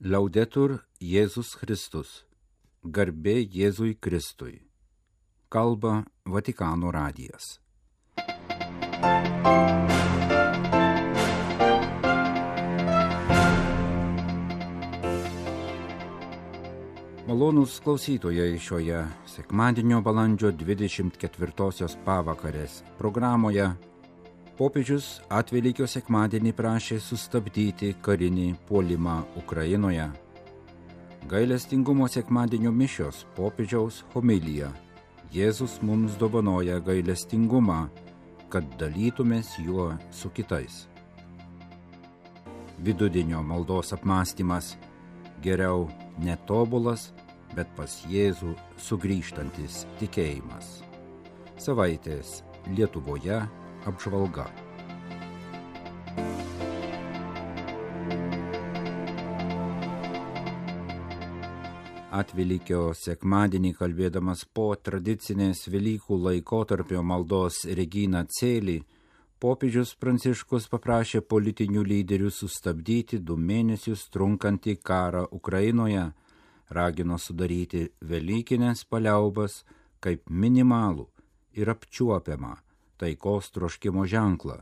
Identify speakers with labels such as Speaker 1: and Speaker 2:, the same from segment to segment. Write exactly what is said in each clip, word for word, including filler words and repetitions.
Speaker 1: Laudetur Jėzus Kristus. Garbė Jėzui Kristui. Kalba Vatikano radijas. Malonūs klausytojai, šioje sekmadienio balandžio dvidešimt ketvirtosios pavakarės programoje popiežius Atvelykio sekmadienį prašė sustabdyti karinį puolimą Ukrainoje. Gailestingumo sekmadienio mišios popiežiaus homilija. Jėzus mums dovanoja gailestingumą, kad dalytumės juo su kitais. Vidudienio maldos apmąstymas. Geriau netobulas, bet pas Jėzų sugrįžtantis tikėjimas. Savaitės Lietuvoje apžvalga. Atvelykio sekmadienį kalbėdamas po tradicinės Velykų laikotarpio maldos Regina Coeli, popiežius Pranciškus paprašė politinių lyderių sustabdyti du mėnesius trunkantį karą Ukrainoje, ragino sudaryti velykinės paliaubas kaip minimalų ir apčiuopiamą taikos troškimo ženklą.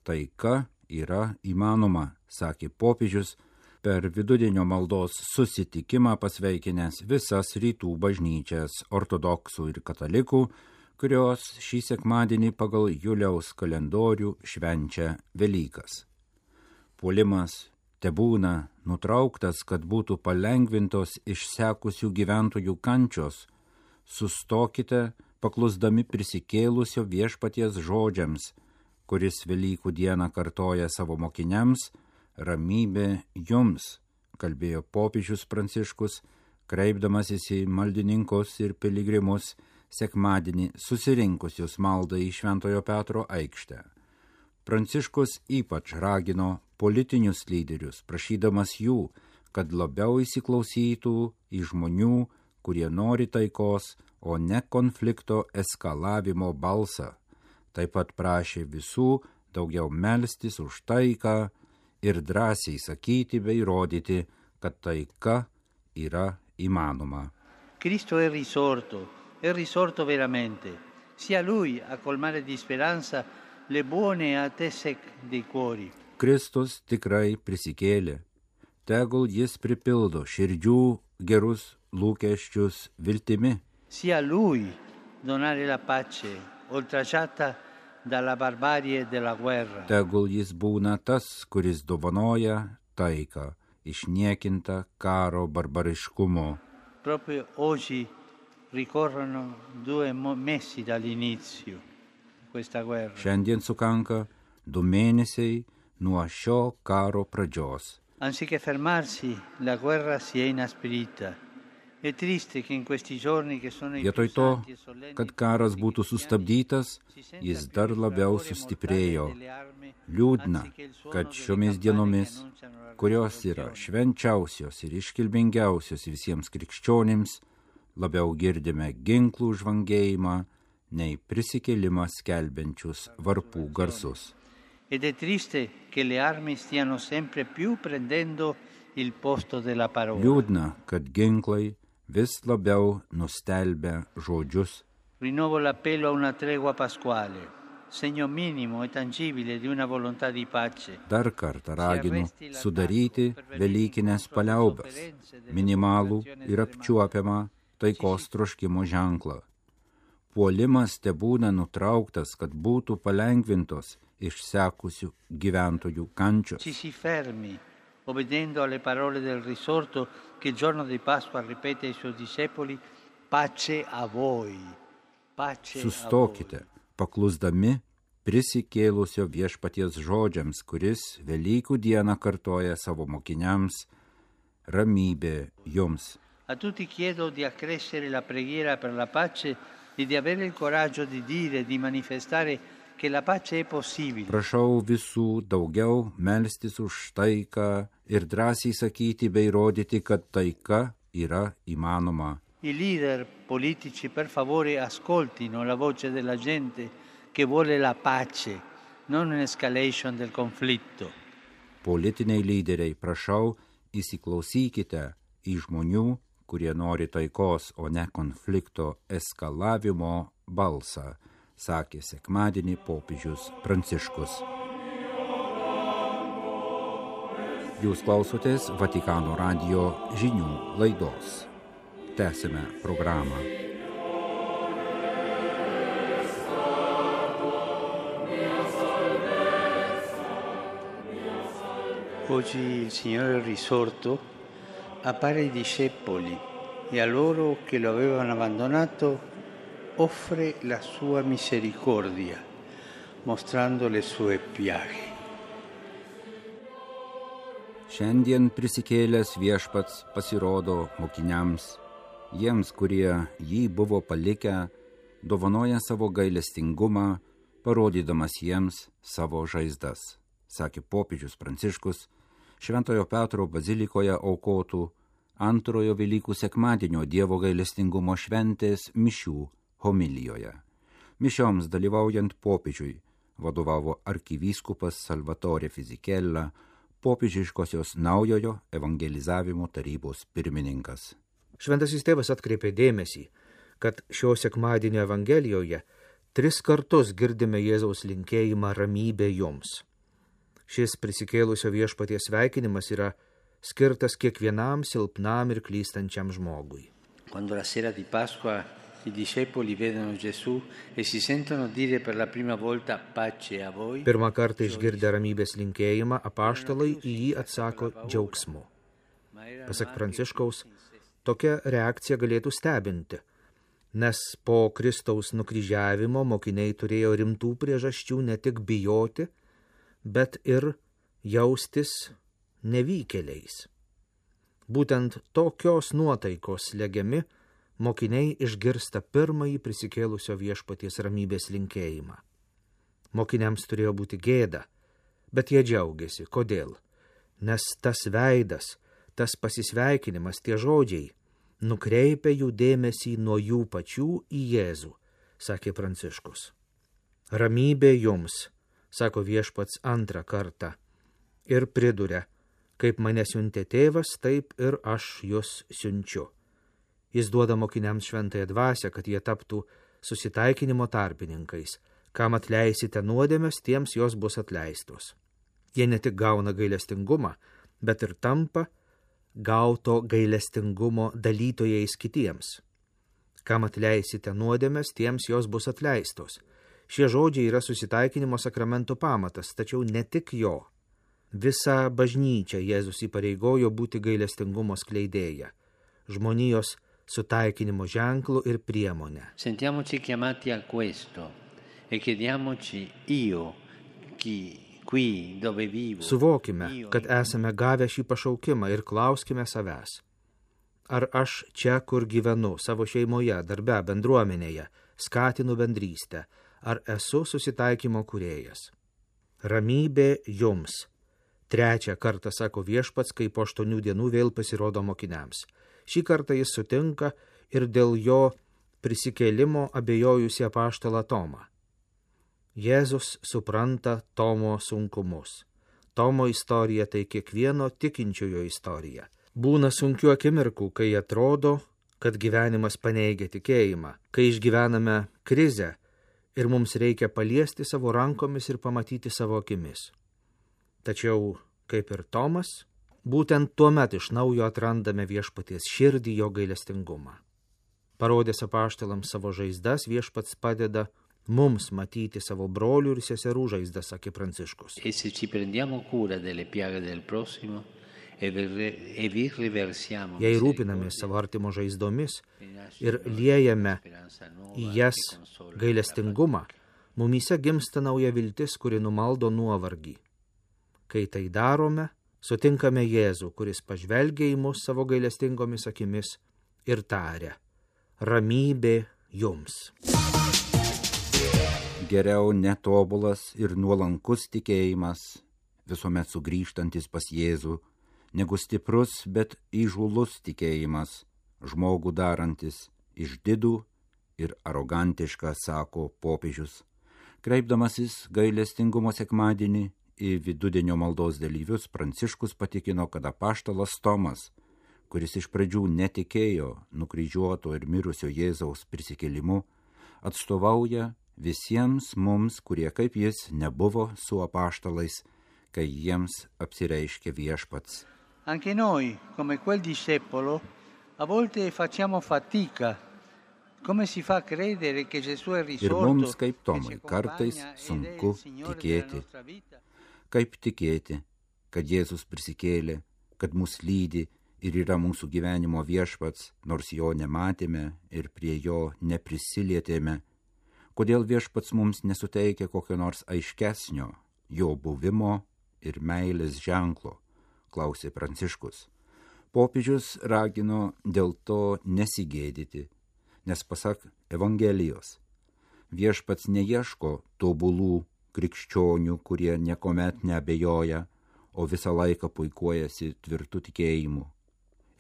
Speaker 1: Taika yra įmanoma, sakė popiežius per vidudienio maldos susitikimą pasveikinęs visas rytų bažnyčias ortodoksų ir katalikų, kurios šį sekmadienį pagal Juliaus kalendorių švenčia Velykas. Puolimas tebūna nutrauktas, kad būtų palengvintos išsekusių gyventojų kančios. Sustokite, paklusdami prisikėlusio viešpaties žodžiams, kuris Velykų dieną kartoja savo mokiniams: ramybė jums, kalbėjo popiežius Pranciškus, kreipdamasis į maldininkus ir piligrimus sekmadienį susirinkusius maldai į Šventojo Petro aikštę. Pranciškus ypač ragino politinius lyderius, prašydamas jų, kad labiau įsiklausytų į žmonių, kurie nori taikos, o ne konflikto eskalavimo balsą. Taip pat prašė visų daugiau melstis už taiką ir drąsiai sakyti bei rodyti, kad taika yra įmanoma.
Speaker 2: Cristo è risorto, è risorto veramente. Sia Lui a colmare di speranza le buone attese dei cuori.
Speaker 1: Kristus tikrai prisikėlė. Tegul jis pripildo širdžių gerus lūkesčius viltimi.
Speaker 2: Sia Lui donare la pace, oltraggiata dalla barbarie della guerra.
Speaker 1: Tegul jis būna tas, kuris dovanoja taiką, išniekinta karo barbariškumo.
Speaker 2: Proprio oggi ricorrono due mesi dall'inizio questa guerra.
Speaker 1: Šiandien sukanka du mėnesiai nuo šio karo pradžios.
Speaker 2: Anziché fermarsi, la guerra si è inasprita. È triste che in questi giorni che sono i
Speaker 1: Vietoj to, kad karas būtų sustabdytas, jis dar labiau sustiprėjo. Liūdna, kad šiomis dienomis, kurios yra švenčiausios ir iškilmingiausios visiems krikščionims, labiau girdime ginklų žvangėjimą, nei prisikėlimą skelbiančius varpų garsus.
Speaker 2: Ed è triste che le armi stiano sempre più prendendo il posto della parola.
Speaker 1: Liūdna, kad ginklai vis labiau nustelbia žodžius.
Speaker 2: Rinnovo l'appello a una tregua pasquale, segno minimo e tangibile di una volontà di pace.
Speaker 1: Dar kartą raginu sudaryti velykinės paliaubas, minimalų ir apčiuopiamą taikos troškimo ženklą. Puolimas tebūna nutrauktas, kad būtų palengvintos išsekusių gyventojų kančios.
Speaker 2: Ci si fermi, obbedendo alle parole del risorto che il giorno di Pasqua ripete ai suoi discepoli: pace a voi. Pace
Speaker 1: Sustokite, paklusdami prisikėlusio viešpaties žodžiams, kuris Velykų dieną kartoja savo mokiniams: ramybė jums.
Speaker 2: A tutti chiedo di accrescere la preghiera per la pace e di avere il coraggio di dire, di manifestare che la pace è possibile.
Speaker 1: Prašau visų daugiau melstis už taiką ir drąsiai sakyti bei rodyti, kad taika yra įmanoma.
Speaker 2: I leader politici, per favore, ascoltino la voce della gente che vuole la pace, non un'escalation del conflitto.
Speaker 1: Politiniai lyderiai, prašau, įsiklausykite į žmonių, kurie nori taikos, o ne konflikto eskalavimo balsą, sakė sekmadienį popiežius Pranciškus. Jūs klausotės Vatikano radijo žinių laidos. Tęsime programą.
Speaker 2: Oggi il Signore risorto appare ai discepoli e a loro che lo avevano abbandonato offre la sua misericordia, mostrando le sue piaghe.
Speaker 1: Šiandien prisikėlęs viešpats pasirodo mokiniams, jiems, kurie jį buvo palikę, dovanoja savo gailestingumą, parodydamas jiems savo žaizdas, sakė popiežius Pranciškus Šventojo Petro bazilikoje aukotų antrojo Velykų sekmadienio Dievo gailestingumo šventės mišių homilijoje. Mišioms dalyvaujant popiežiui vadovavo arkivyskupas Salvatore Fisichella, popiežiškosios naujojo evangelizavimo tarybos pirmininkas.
Speaker 3: Šventasis tėvas atkreipė dėmesį, kad šio sekmadienio evangelijoje tris kartus girdime Jėzaus linkėjimą ramybė jums. Šis prisikėlusio viešpaties sveikinimas yra skirtas kiekvienam silpnam ir klystančiam žmogui.
Speaker 2: Quando la sera di Pasqua i discepoli vedono Gesù e si sentono dire per la prima volta pace a voi.
Speaker 3: Pirmą kartą išgirdę ramybės linkėjimą, apaštalai į jį atsako džiaugsmu. Pasak Pranciškaus, tokia reakcija galėtų stebinti, nes po Kristaus nukryžiavimo mokiniai turėjo rimtų priežasčių ne tik bijoti, bet ir jaustis nevykėliais. Būtent tokios nuotaikos slegiami mokiniai išgirsta pirmąjį prisikėlusio viešpaties ramybės linkėjimą. Mokiniams turėjo būti gėda, bet jie džiaugiasi. Kodėl? Nes tas veidas, tas pasisveikinimas, tie žodžiai nukreipia jų dėmesį nuo jų pačių į Jėzų, sakė Pranciškus. Ramybė jums, sako viešpats antrą kartą, ir priduria, kaip mane siuntė tėvas, taip ir aš jus siunčiu. Jis duoda mokiniams šventąją dvasią, kad jie taptų susitaikinimo tarpininkais. Kam atleisite nuodėmes, tiems jos bus atleistos. Jie ne tik gauna gailestingumą, bet ir tampa gauto gailestingumo dalytojais kitiems. Kam atleisite nuodėmes, tiems jos bus atleistos. Šie žodžiai yra susitaikinimo sakramento pamatas, tačiau ne tik jo. Visa bažnyčia Jėzus įpareigojo būti gailestingumo skleidėja, žmonijos sutaikinimo ženklų ir priemonę.
Speaker 2: Sentiamoci chiamati a questo e chiediamoci io, chi qui dove vivo.
Speaker 3: Suvokime, kad esame gavę šį pašaukimą ir klauskime savęs. Ar aš čia, kur gyvenu, savo šeimoje, darbe, bendruomenėje, skatinu bendrystę, ar esu susitaikymo kūrėjas? Ramybė jums. Trečią kartą sako viešpats, kai po aštuonių dienų vėl pasirodo mokiniams. Šį kartą jis sutinka ir dėl jo prisikėlimo abejojusi apaštalą Tomą. Jėzus supranta Tomo sunkumus. Tomo istorija tai kiekvieno tikinčiojo istorija. Būna sunkių akimirkų, kai atrodo, kad gyvenimas paneigia tikėjimą, kai išgyvename krizę ir mums reikia paliesti savo rankomis ir pamatyti savo akimis. Tačiau, kaip ir Tomas, būtent tuomet iš naujo atrandame viešpaties širdį, jo gailestingumą. Parodęs apaštalams savo žaizdas, viešpats padeda mums matyti savo brolių ir seserų žaizdas, sakė Pranciškus.
Speaker 2: E se ci prendiamo cura delle piaghe del prossimo e vi riversiamo.
Speaker 3: Jei rūpinamės savo artimo žaizdomis ir liejame į jas gailestingumą, mumyse gimsta nauja viltis, kuri numaldo nuovargį. Kai tai darome, sutinkame Jėzų, kuris pažvelgia į mus savo gailestingomis akimis ir taria: ramybė jums.
Speaker 1: Geriau netobulas ir nuolankus tikėjimas, visuomet sugrįžtantis pas Jėzų, negu stiprus, bet įžūlus tikėjimas, žmogų darantis išdidų ir arogantišką, sako popiežius, kreipdamasis gailestingumo sekmadienį į vidudienio maldos dalyvius Pranciškus patikino, kad apaštalas Tomas, kuris iš pradžių netikėjo nukryžiuoto ir mirusio Jėzaus prisikėlimu, atstovauja visiems mums, kurie kaip jis nebuvo su apaštalais, kai jiems apsireiškė viešpats.
Speaker 2: Anche noi, come quel discepolo, a volte facciamo fatica. Come si fa credere che Gesù è risorto?
Speaker 1: Ir mums, kaip Tomai, kartais sunku tikėti. Kaip tikėti, kad Jėzus prisikėlė, kad mus lydi ir yra mūsų gyvenimo viešpats, nors jo nematėme ir prie jo neprisilietėme. Kodėl viešpats mums nesuteikia kokio nors aiškesnio jo buvimo ir meilės ženklo, klausė Pranciškus. Popiežius ragino dėl to nesigėdyti, nes pasak Evangelijos, viešpats neieško tobulų krikščionių, kurie niekuomet neabejoja, o visą laiką puikuojasi tvirtu tikėjimu.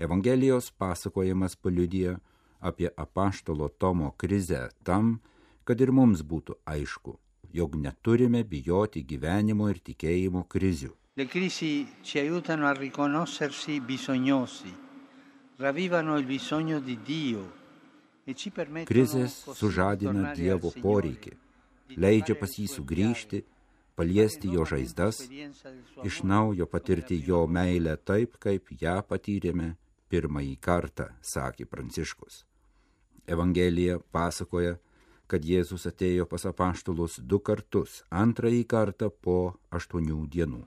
Speaker 1: Evangelijos pasakojimas paliudija apie apaštalo Tomo krizę tam, kad ir mums būtų aišku, jog neturime bijoti gyvenimo ir tikėjimo krizių.
Speaker 2: Le crisi ci aiutano a riconoscersi bisognosi, ravvivano il bisogno di Dio.
Speaker 1: Krizės sužadina Dievo poreikį, leidžia pas jį sugrįžti, paliesti jo žaizdas, iš naujo patirti jo meilę taip, kaip ją patyrėme pirmąjį kartą, sakė Pranciškus. Evangelija pasakoja, kad Jėzus atėjo pas apaštalus du kartus, antrąjį kartą po aštuonių dienų.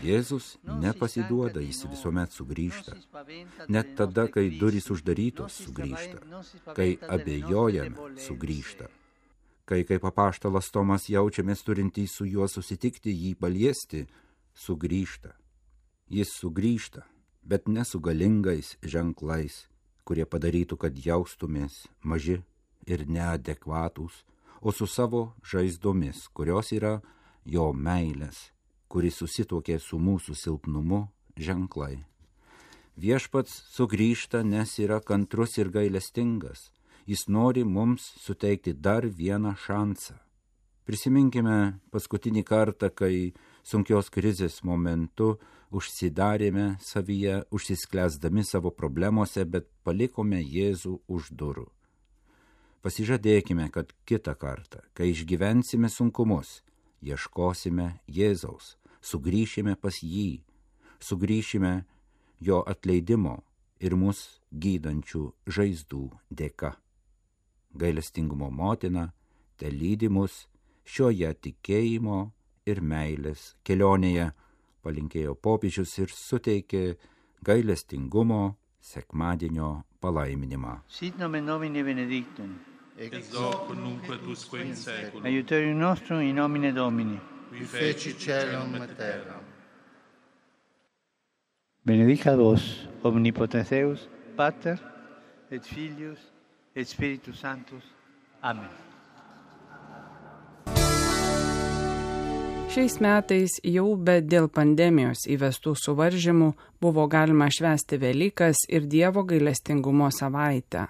Speaker 1: Jėzus nepasiduoda, jis visuomet sugrįžta. Net tada, kai durys uždarytos, sugrįžta. Kai abejojame, sugrįžta. Kai kaip apaštalas Tomas jaučiamės turintys su juo susitikti, jį paliesti, sugrįžta. Jis sugrįžta, bet ne su galingais ženklais, kurie padarytų, kad jaustumės maži ir neadekvatūs, o su savo žaizdomis, kurios yra jo meilės, kuris susituokė su mūsų silpnumu, ženklai. Viešpats sugrįžta, nes yra kantrus ir gailestingas. Jis nori mums suteikti dar vieną šansą. Prisiminkime paskutinį kartą, kai sunkios krizės momentu užsidarėme savyje, užsisklęsdami savo problemose, bet palikome Jėzų už durų. Pasižadėkime, kad kitą kartą, kai išgyvensime sunkumus, ieškosime Jėzaus, sugrįšime pas jį, sugrįšime jo atleidimo ir mus gydančių žaizdų dėka. Gailestingumo motina te lydi mus šioje tikėjimo ir meilės kelionėje, palinkėjo popiežius ir suteikė gailestingumo sekmadienio palaiminimą.
Speaker 2: Sit nomen Domini benedictum.
Speaker 4: Ex hoc nunc et usque in seculum.
Speaker 2: Aiuterium nostrum in nomine Domini.
Speaker 4: Qui feci caelum et terram.
Speaker 2: Benedicat vos, omnipotens Deus, Pater, et Filius, et Spiritus Sanctus. Amen.
Speaker 5: Šiais metais jau be dėl pandemijos įvestų suvaržymų buvo galima švęsti Velykas ir Dievo gailestingumo savaitę.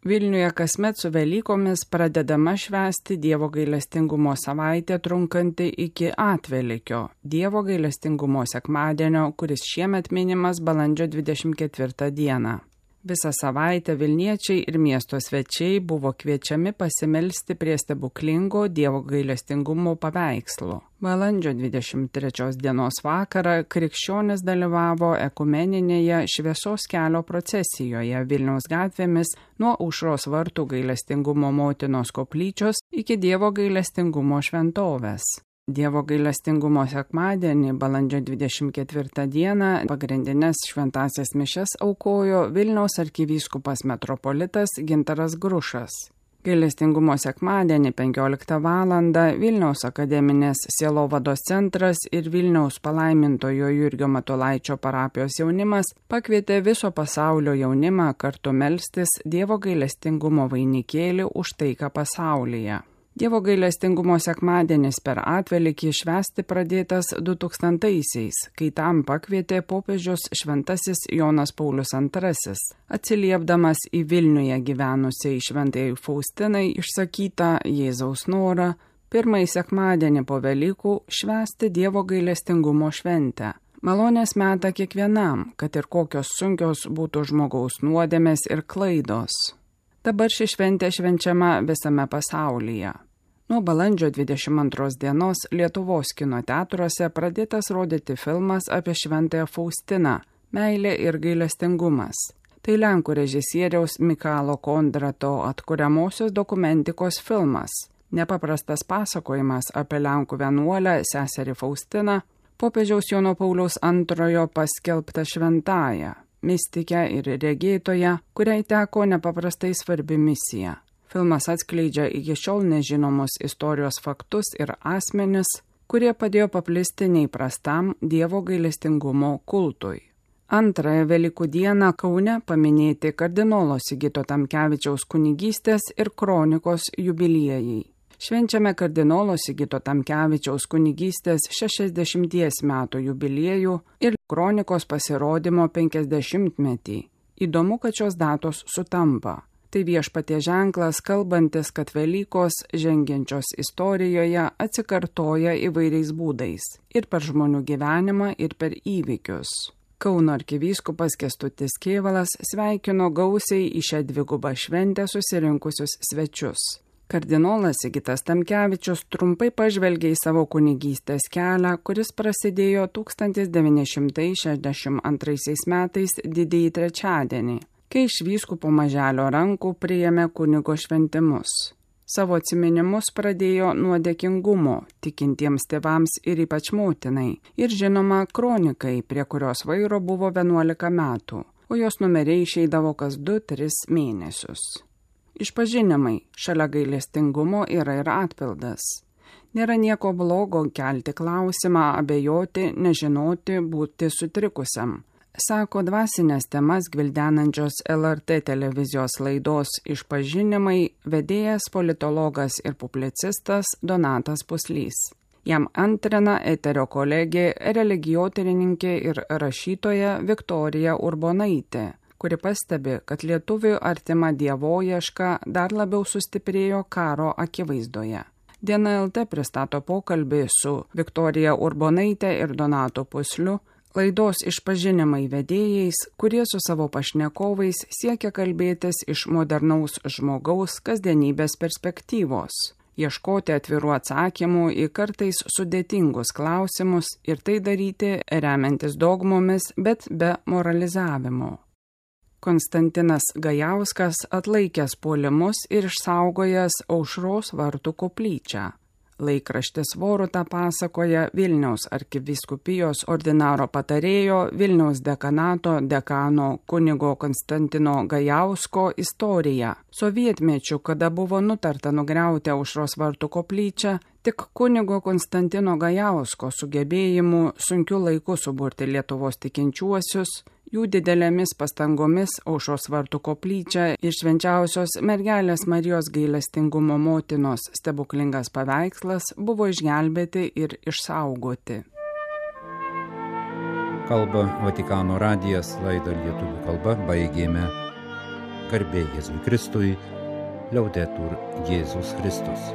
Speaker 5: Vilniuje kasmet su Velykomis pradedama švęsti Dievo gailestingumo savaitė trunkanti iki Atvelykio, Dievo gailestingumo sekmadienio, kuris šiemet minimas balandžio dvidešimt ketvirtą dieną. Visą savaitę Vilniečiai ir miesto svečiai buvo kviečiami pasimelsti prie stebuklingo Dievo gailestingumo paveikslo. Balandžio dvidešimt trečios dienos vakarą krikščionys dalyvavo ekumeninėje šviesos kelio procesijoje Vilniaus gatvėmis nuo Aušros vartų gailestingumo motinos koplyčios iki Dievo gailestingumo šventovės. Dievo gailestingumo sekmadienį, balandžio dvidešimt ketvirtą dieną, pagrindinės šventąsias mišias aukojo Vilniaus arkivyskupas metropolitas Gintaras Grušas. Gailestingumo sekmadienį penkioliktą valandą Vilniaus akademinės sielovados centras ir Vilniaus palaimintojo Jurgio Matulaičio parapijos jaunimas pakvietė viso pasaulio jaunimą kartu melstis Dievo gailestingumo vainikėlį už taiką pasaulyje. Dievo gailestingumo sekmadienis per Atvelykį švęsti pradėtas du tūkstantaisiais, kai tam pakvietė popiežius šventasis Jonas Paulius antrasis, atsiliepdamas į Vilniuje gyvenusiai šventajai Faustinai išsakytą Jėzaus norą pirmąjį sekmadienį po Velykų švęsti Dievo gailestingumo šventę. Malonės metą kiekvienam, kad ir kokios sunkios būtų žmogaus nuodėmės ir klaidos. Dabar ši šventė švenčiama visame pasaulyje. Nuo balandžio dvidešimt antros dienos Lietuvos kino teatruose pradėtas rodyti filmas apie šventąją Faustiną – Meilė ir gailestingumas. Tai lenkų režisieriaus Mikalo Kondrato atkuriamosios dokumentikos filmas. Nepaprastas pasakojimas apie lenkų vienuolę seserį Faustiną, popiežiaus Jono Pauliaus antrojo paskelbtą šventąją, mistikę ir regėtoją, kuriai teko nepaprastai svarbi misija. Filmas atskleidžia iki šiol nežinomus istorijos faktus ir asmenis, kurie padėjo paplisti neįprastam Dievo gailestingumo kultui. Antrąją Velykų dieną Kaune paminėti kardinolo Sigito Tamkevičiaus kunigystės ir kronikos jubiliejai. Švenčiame kardinolo Sigito Tamkevičiaus kunigystės šešiasdešimties metų jubiliejų ir kronikos pasirodymo penkiasdešimtmetį. Įdomu, kad šios datos sutampa. Tai viešpaties ženklas, kalbantis, kad Velykos žengiančios istorijoje atsikartoja įvairiais būdais – ir per žmonių gyvenimą, ir per įvykius. Kauno arkivyskupas Kęstutis Kėvalas sveikino gausiai į šią dvigubą šventę susirinkusius svečius. Kardinolas Sigitas Tamkevičius trumpai pažvelgė į savo kunigystės kelią, kuris prasidėjo tūkstantis devyni šimtai šešiasdešimt antraisiais metais didįjį trečiadienį, kai iš vyskupo Maželio rankų priėmė kunigo šventimus. Savo atsiminimus pradėjo nuo dėkingumo tikintiems tėvams ir ypač motinai ir žinoma kronikai, prie kurios vairo buvo vienuolika metų, o jos numeriai išeidavo kas du tris mėnesius. Išpažinimai šalia gailestingumo yra ir atpildas. Nėra nieko blogo kelti klausimą, abejoti, nežinoti, būti sutrikusiam. Sako dvasinės temas gvildenančios L R T televizijos laidos Išpažinimai vedėjas politologas ir publicistas Donatas Puslys. Jam antrina eterio kolegė, religijotyrininkė ir rašytoja Viktorija Urbonaitė, kuri pastebi, kad lietuvių artima dievoieška dar labiau sustiprėjo karo akivaizdoje. Diena L T pristato pokalbį su Viktorija Urbonaitė ir Donatu Pusliu, laidos Išpažinimai vedėjais, kurie su savo pašnekovais siekia kalbėtis iš modernaus žmogaus kasdienybės perspektyvos, ieškoti atvirų atsakymų į kartais sudėtingus klausimus ir tai daryti remiantis dogmomis, bet be moralizavimo. Konstantinas Gajauskas atlaikęs puolimus ir išsaugojęs Aušros vartų koplyčią. Laikraštis Voruta pasakoja Vilniaus arkivyskupijos ordinaro patarėjo Vilniaus dekanato dekano kunigo Konstantino Gajausko istoriją. Sovietmečiu, kada buvo nutarta nugriauti Aušros vartų koplyčią, tik kunigo Konstantino Gajausko sugebėjimu sunkiu laiku suburti Lietuvos tikinčiuosius, jų didelėmis pastangomis Aušros vartų koplyčia ir švenčiausios mergelės Marijos gailestingumo motinos stebuklingas paveikslas buvo išgelbėti ir išsaugoti.
Speaker 1: Kalba Vatikano radijas, laidą lietuvių kalba baigėme. Garbė Jėzui Kristui, Liaudetur Jėzus Kristus.